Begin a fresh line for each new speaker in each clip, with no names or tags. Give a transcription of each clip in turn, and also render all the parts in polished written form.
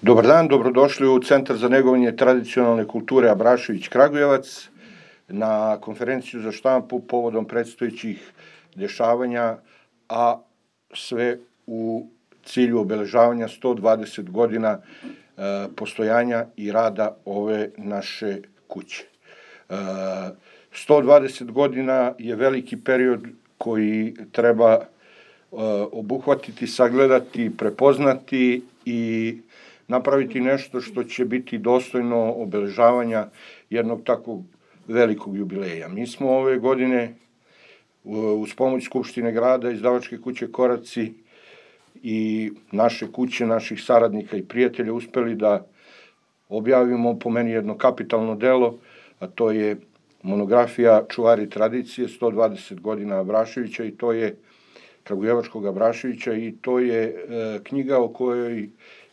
Dobar dan, dobrodošli u Centar za negovanje tradicionalne kulture Abrašević Kragujevac na konferenciju za štampu povodom predstojećih dešavanja, a sve u cilju obeležavanja 120 godina postojanja i rada ove naše kuće. 120 godina je veliki period koji treba obuhvatiti, sagledati, prepoznati i napraviti nešto što će biti dostojno obeležavanja jednog takvog velikog jubileja. Mi smo ove godine uz pomoć Skupštine grada, izdavačke kuće Koraci i naše kuće, naših saradnika i prijatelja uspeli da objavimo po meni jedno kapitalno delo, a to je monografija Čuvari tradicije, 120 godina Abraševića, i to je Kragujevačkog Abraševića, i to je knjiga o kojoj,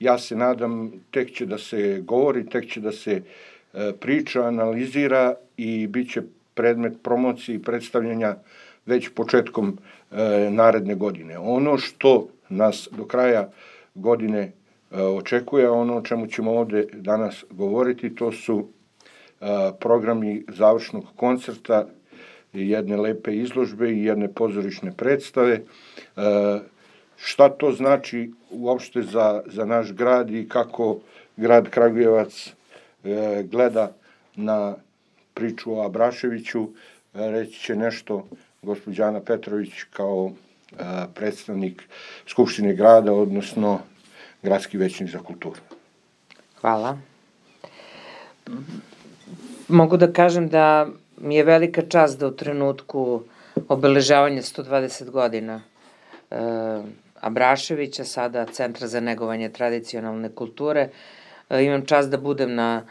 ja se nadam, tek će da se govori, tek će da se priča, analizira i bit će predmet promocije i predstavljanja već početkom naredne godine. Ono što nas do kraja godine očekuje, ono o čemu ćemo ovde danas govoriti, to su programi završnog koncerta, jedne lepe izložbe i jedne pozorišne predstave. Šta to znači uopšte za naš grad i kako grad Kragujevac gleda na priču o Abraševiću, reći će nešto gospođa Ana Petrović kao predstavnik Skupštine grada, odnosno gradski većnik za kulturu.
Hvala. Mogu da kažem da mi je velika čast da u trenutku obeležavanja 120 godina Abraševića, sada Centra za negovanje tradicionalne kulture, imam čast da budem na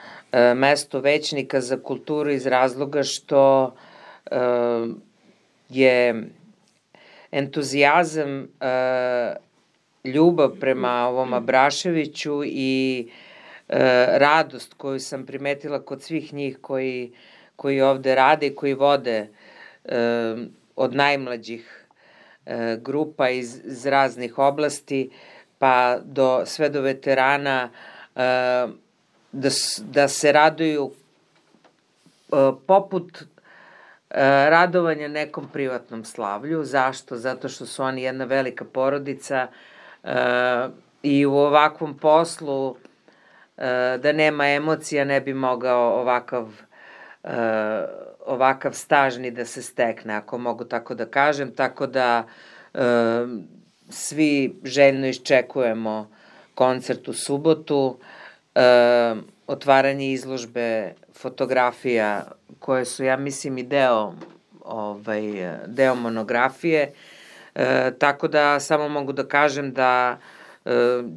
mestu većnika za kulturu iz razloga što je entuzijazam, ljubav prema ovom Abraševiću i radost koju sam primetila kod svih njih koji ovde rade i koji vode od najmlađih grupa iz raznih oblasti, pa sve do veterana, da se raduju poput radovanja nekom privatnom slavlju. Zašto? Zato što su oni jedna velika porodica i u ovakvom poslu da nema emocija ne bi mogao ovakav staž ni da se stekne, ako mogu tako da kažem, tako da svi željno iščekujemo koncert u subotu, otvaranje izložbe fotografija koje su, ja mislim, i deo monografije, tako da samo mogu da kažem da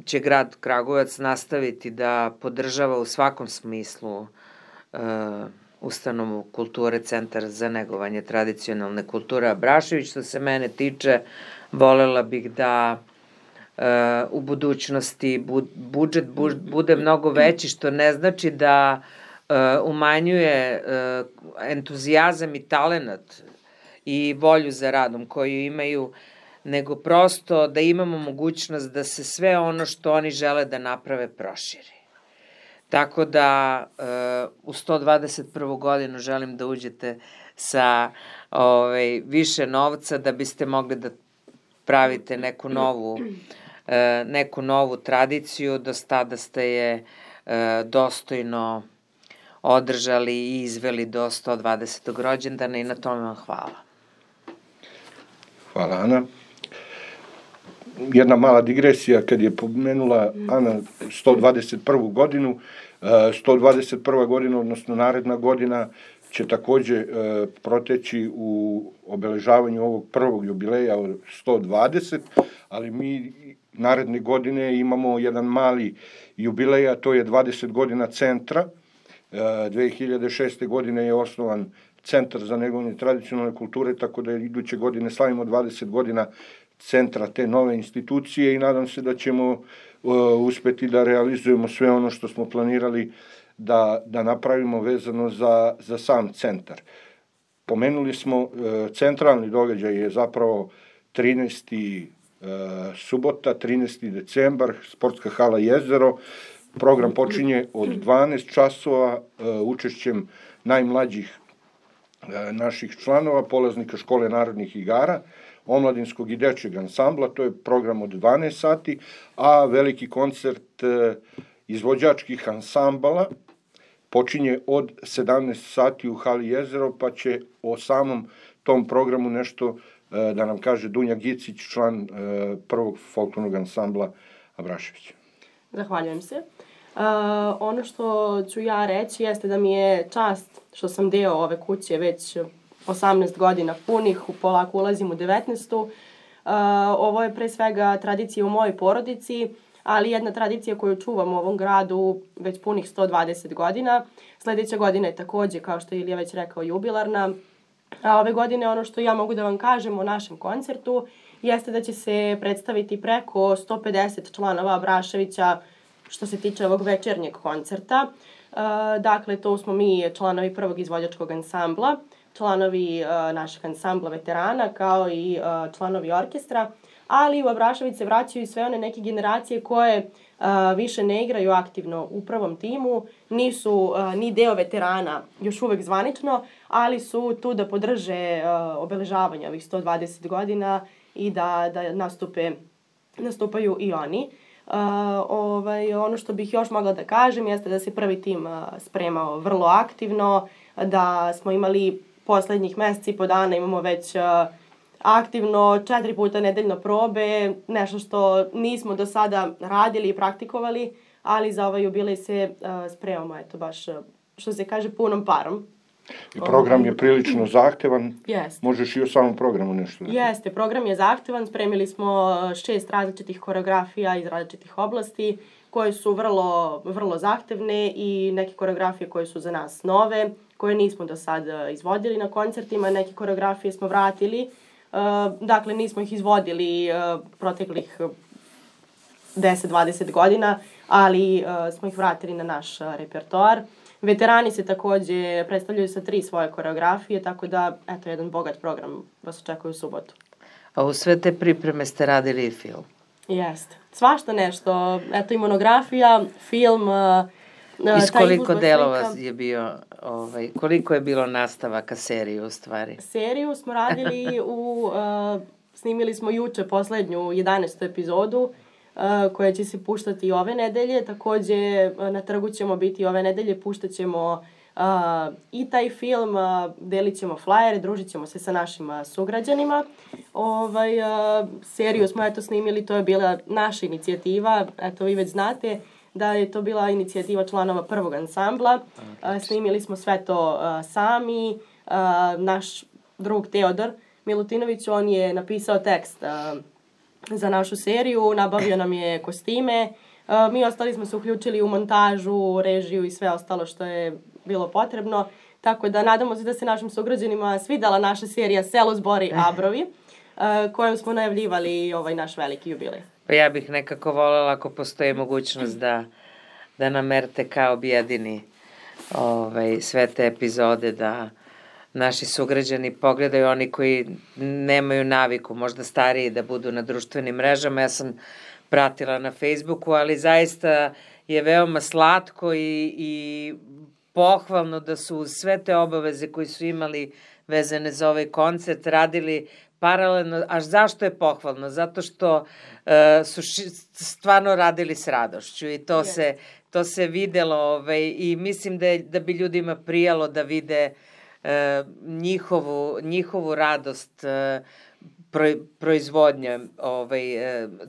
će grad Kragujevac nastaviti da podržava u svakom smislu ustanovu kulture, Centar za negovanje tradicionalne kulture Abrašević. Što se mene tiče, volela bih da u budućnosti budžet bude mnogo veći, što ne znači da umanjuje entuzijazam i talenat i volju za radom koju imaju, nego prosto da imamo mogućnost da se sve ono što oni žele da naprave proširi. Tako da u 121. godinu želim da uđete sa više novca da biste mogli da pravite neku novu tradiciju, do tada ste je dostojno održali i izveli do 120. rođendana i na tome vam hvala.
Hvala, Ana. Jedna mala digresija, kad je pomenula Ana 121. godinu, 121. godina, odnosno naredna godina, će takođe proteći u obeležavanju ovog prvog jubileja od 120, ali mi naredne godine imamo jedan mali jubilej, a to je 20 godina centra. 2006. godine je osnovan Centar za negovanje tradicionalne kulture, tako da iduće godine slavimo 20 godina centra te nove institucije i nadam se da ćemo uspeti da realizujemo sve ono što smo planirali da napravimo vezano za sam centar. Pomenuli smo, centralni događaj je zapravo 13. subota, 13. decembar, sportska hala Jezero, Program počinje od 12 časova učešćem najmlađih naših članova, polaznika škole narodnih igara, omladinskog i dečjeg ansambla, to je program od 12 sati, a veliki koncert izvođačkih ansambala počinje od 17 sati u hali Jezero, pa će o samom tom programu nešto da nam kaže Dunja Gicić, član prvog folklornog ansambla Abrašević.
Zahvaljujem se. Ono što ću ja reći jeste da mi je čast što sam deo ove kuće već 18 godina punih, polako ulazim u 19. Ovo je pre svega tradicija u mojoj porodici, ali jedna tradicija koju čuvam u ovom gradu već punih 120 godina. Sledeća godina je takođe, kao što je Ilija već rekao, jubilarna. A ove godine ono što ja mogu da vam kažem o našem koncertu jeste da će se predstaviti preko 150 članova Abraševića što se tiče ovog večernjeg koncerta. Dakle, to smo mi članovi prvog izvođačkog ansambla, članovi našeg ansambla veterana, kao i članovi orkestra, ali u Abrašević se vraćaju i sve one neke generacije koje više ne igraju aktivno u prvom timu, nisu ni deo veterana još uvek zvanično, ali su tu da podrže obeležavanje ovih 120 godina i da nastupaju i oni. Ono što bih još mogla da kažem jeste da se prvi tim spremao vrlo aktivno, da smo imali poslednjih meseci i po dana, imamo već aktivno 4 puta nedeljno probe, nešto što nismo do sada radili i praktikovali, ali za ovaj jubilej se spremamo, eto baš, što se kaže, punom parom.
I program je prilično zahtevan.
Jeste.
Možeš i o samom programu nešto da...
Jeste, program je zahtevan. Spremili smo 6 različitih koreografija iz različitih oblasti koje su vrlo zahtevne i neke koreografije koje su za nas nove, koje nismo do sad izvodili na koncertima. Neke koreografije smo vratili. Dakle, nismo ih izvodili proteklih 10-20 godina, ali smo ih vratili na naš repertoar. Veterani se takođe predstavljaju sa 3 svoje koreografije, tako da, eto, jedan bogat program vas očekuje u subotu.
A u sve te pripreme ste radili i film?
Jeste. Svašta nešto. Eto, i monografija, film,
Iz koliko delova je bio, koliko je bilo nastavaka serije u stvari?
Seriju smo radili snimili smo juče poslednju 11. epizodu, koja će se puštati ove nedelje. Takođe, na trgu ćemo biti ove nedelje, puštat ćemo i taj film, delit ćemo flajere, družit ćemo se sa našim sugrađanima. Seriju smo snimili, to je bila naša inicijativa, eto vi već znate da je to bila inicijativa članova prvog ansambla. Snimili smo sve to sami. Naš drug Teodor Milutinović, on je napisao tekst za našu seriju, nabavio nam je kostime. Mi ostali smo se uključili u montažu, režiju i sve ostalo što je bilo potrebno. Tako da nadamo se da se našim sugrađanima svidala naša serija Selo, Zbori, Abrovi, kojom smo najavljivali ovaj naš veliki jubilej.
Pa ja bih nekako voljela ako postoji mogućnost da nam RTK objedini sve te epizode, da naši sugrađani pogledaju, oni koji nemaju naviku, možda stariji, da budu na društvenim mrežama. Ja sam pratila na Facebooku, ali zaista je veoma slatko i pohvalno da su uz sve te obaveze koji su imali vezane za ovaj koncert radili paralelno. A zašto je pohvalno? Zato što su stvarno radili s radošću i to se videlo i mislim da bi ljudima prijalo da vide njihovu radost proizvodnje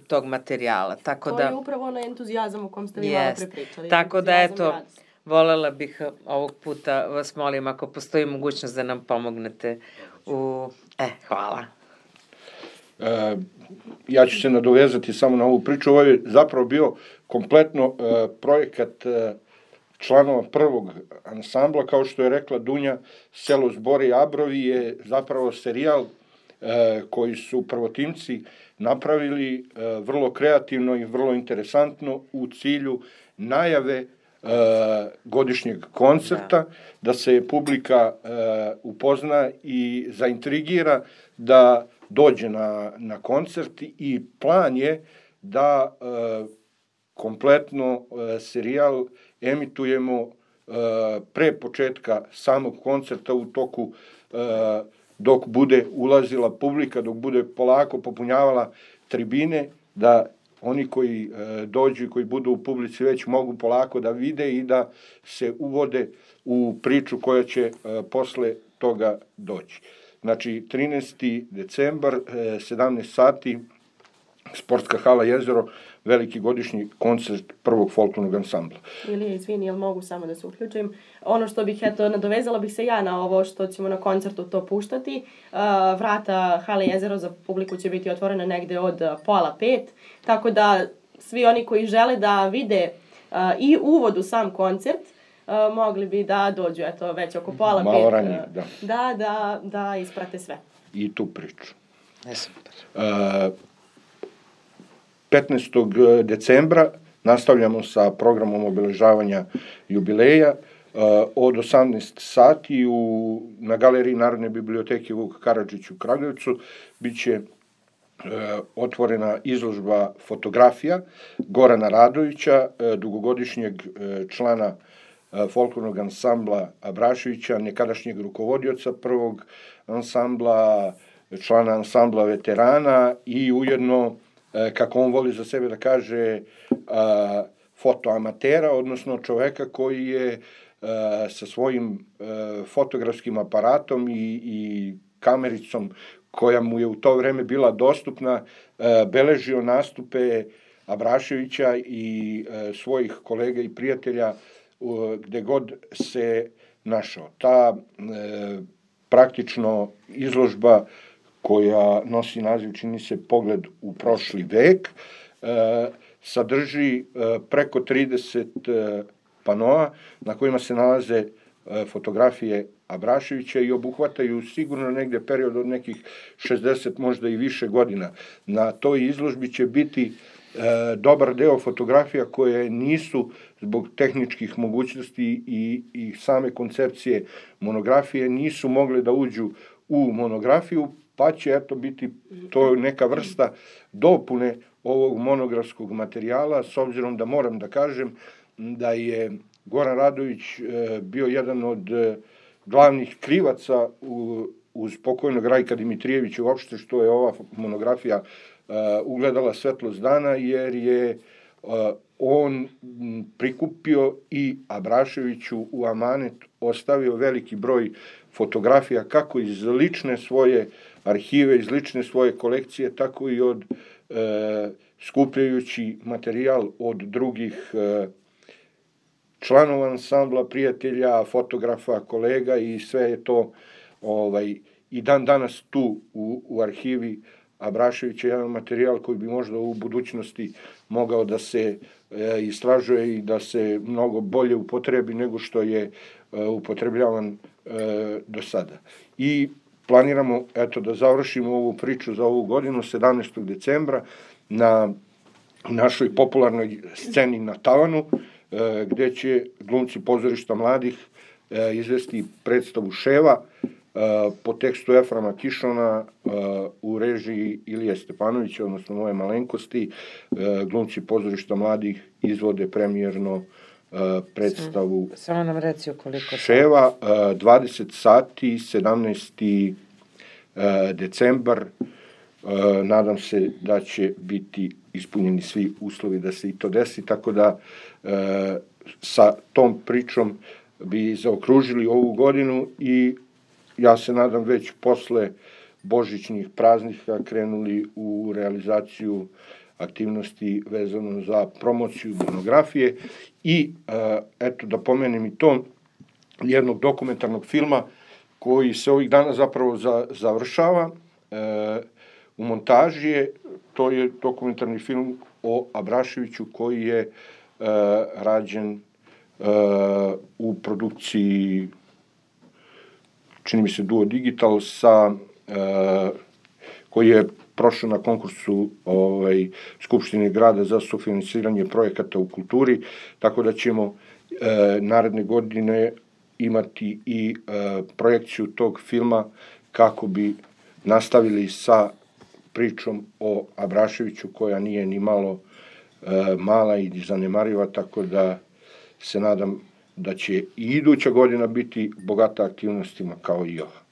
tog materijala.
To je upravo onaj entuzijazam o kom ste vi malo prepričali.
Tako da, eto, volela bih ovog puta, vas molim, ako postoji mogućnost da nam pomognete hvala.
Ja ću se nadovezati samo na ovu priču. Ovo je zapravo bio kompletno projekat članova prvog ansambla, kao što je rekla Dunja. Selo, Zbori, Abrovi je zapravo serijal koji su prvotimci napravili vrlo kreativno i vrlo interesantno u cilju najave godišnjeg koncerta, da se publika upozna i zaintrigira da dođe na koncert i plan je da kompletno serijal emitujemo pre početka samog koncerta, u toku dok bude ulazila publika, dok bude polako popunjavala tribine, da oni koji dođu i koji budu u publici već mogu polako da vide i da se uvode u priču koja će posle toga doći. Znači, 13. decembar, 17 sati, Sportska hala Jezero, veliki godišnji koncert prvog folklornog ansambla.
Ilija, izvini, jel mogu samo da se uključim? Ono što bih, nadovezala bih se ja na ovo što ćemo na koncertu to puštati. Vrata hale Jezero za publiku će biti otvorena negde od 4:30, tako da svi oni koji žele da vide i uvod u sam koncert, mogli bi da dođu, već oko 4:30.
Malo ranije,
da isprate sve.
I tu priču.
Super.
15. decembra nastavljamo sa programom obeležavanja jubileja. Od 18 sati na galeriji Narodne biblioteke Vuk Karadžić u Kragujevcu biće otvorena izložba fotografija Gorana Radovića, dugogodišnjeg člana folklornog ansambla Abraševića, nekadašnjeg rukovodioca prvog ansambla, člana ansambla veterana i ujedno, kako on voli za sebe da kaže, fotoamatera, odnosno čoveka koji je sa svojim fotografskim aparatom i kamericom koja mu je u to vreme bila dostupna, beležio nastupe Abraševića i svojih kolega i prijatelja gde god se našao. Ta praktično izložba koja nosi naziv, čini se, Pogled u prošli vek, sadrži preko 30 panoa na kojima se nalaze fotografije Abraševića i obuhvataju sigurno negde period od nekih 60, možda i više godina. Na toj izložbi će biti dobar deo fotografija koje nisu zbog tehničkih mogućnosti i same koncepcije monografije nisu mogle da uđu u monografiju, pa će biti to neka vrsta dopune ovog monografskog materijala, s obzirom da moram da kažem da je Goran Radović bio jedan od glavnih krivaca uz pokojnog Rajka Dimitrijevića uopšte što je ova monografija ugledala svetlost dana, jer je on prikupio i Abraševiću u amanet ostavio veliki broj fotografija, kako iz lične svoje arhive, iz lične svoje kolekcije, tako i od skupljajući materijal od drugih članova ansambla, prijatelja, fotografa, kolega, i sve je to i dan danas tu u arhivi Abraševića, jedan materijal koji bi možda u budućnosti mogao da se istražuje i da se mnogo bolje upotrebi nego što je upotrebljavan do sada. I planiramo, da završimo ovu priču za ovu godinu, 17. decembra, na našoj popularnoj sceni na Tavanu, gde će glumci pozorišta mladih izvesti predstavu Ševa po tekstu Eframa Kišona u režiji Ilije Stepanovića, odnosno moje malenkosti. Glumci pozorišta mladih izvode premijerno predstavu
Samo nam reci koliko
Ševa, 20 sati, 17. decembar. Nadam se da će biti ispunjeni svi uslovi da se i to desi, tako da sa tom pričom bi zaokružili ovu godinu i ja se nadam već posle božićnih praznika krenuli u realizaciju aktivnosti vezano za promociju monografije i da pomenem i to jednog dokumentarnog filma koji se ovih dana zapravo završava u montaži. To je dokumentarni film o Abraševiću koji je rađen u produkciji, čini mi se, Duo Digital, koji je prošao na konkursu Skupštine grada za sufinansiranje projekata u kulturi, tako da ćemo naredne godine imati i projekciju tog filma kako bi nastavili sa pričom o Abraševiću, koja nije ni malo mala i zanemariva, tako da se nadam da će i iduća godina biti bogata aktivnostima kao i ova.